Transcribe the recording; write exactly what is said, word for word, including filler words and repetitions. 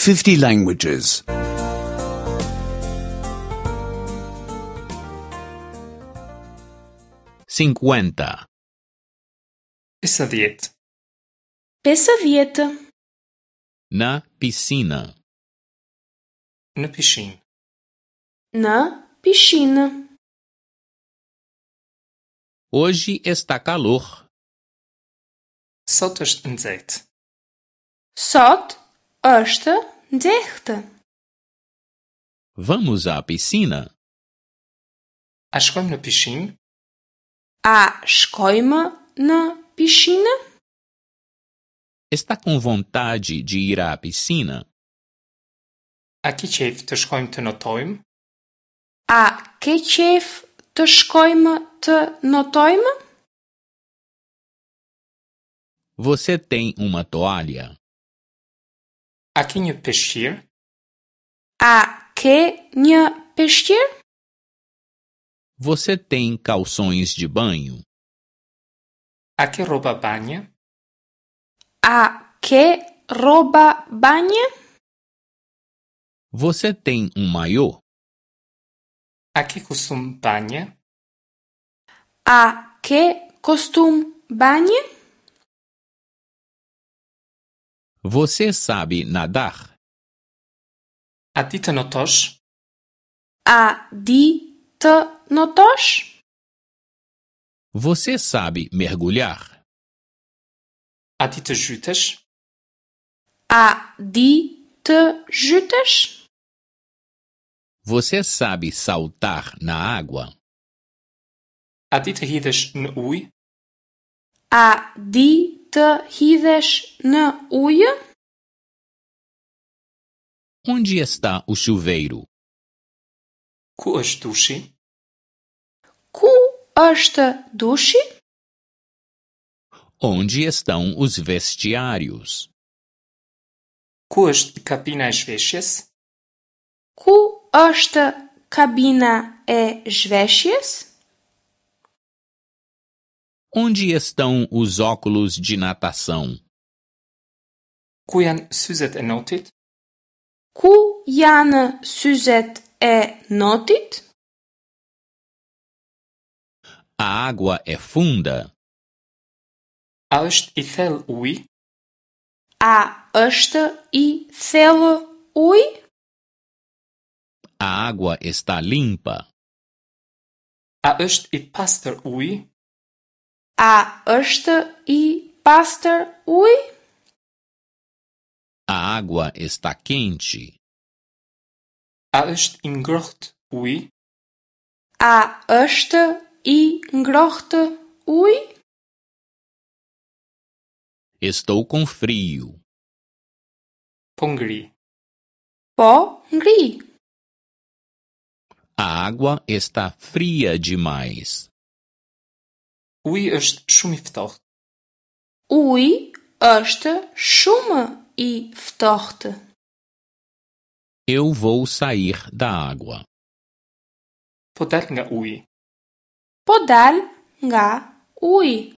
fifty languages. Cinquenta. Pesëdhjetë. Pesëdhjetë. Na piscina. Në pishinë. Në pishinë. Hoje está calor. Sot është nxehtë. Sot është nxehtë. Vamos à piscina? A shkojmë në pishinë? A shkojmë në pishinë? Está com vontade de ir à piscina? A ke qejf të shkojmë të notojmë? A ke qejf të shkojmë të notojmë? Você tem uma toalha? A ke një peshqir? A ke një peshqir? Você tem calções de banho? A ke rroba banje? A ke rroba banje? Você tem um maiô? A ke kostum banje? A ke kostum banje? Você sabe nadar? A di të notosh? A di të notosh? Você sabe mergulhar? A di të zhytesh? A di të zhytesh? Você sabe saltar na água? A di të hidhesh në ujë? A di të hidhesh në ujë? Onde está o chuveiro? Ku është dushi? Ku është dushi? Onde estão os vestiários? Ku është kabina e zhveshjes? Ku është kabina e zhveshjes? Onde estão os óculos de natação? Ku janë syzet e notit? Ku janë syzet e notit? A água é funda? A është i thellë uji? A është i thellë uji? A água está limpa? A është i pastër uji? A është i pastër uji? A água está quente? A është i ngrohtë uji? A është i ngrohtë uji? Estou com frio. Po ngri. Po ngri. A água está fria demais. Uji është shumë i ftohtë. Uji është shumë i ftohtë. Eu vou sair da água. Po dal nga uji. Po dal nga uji.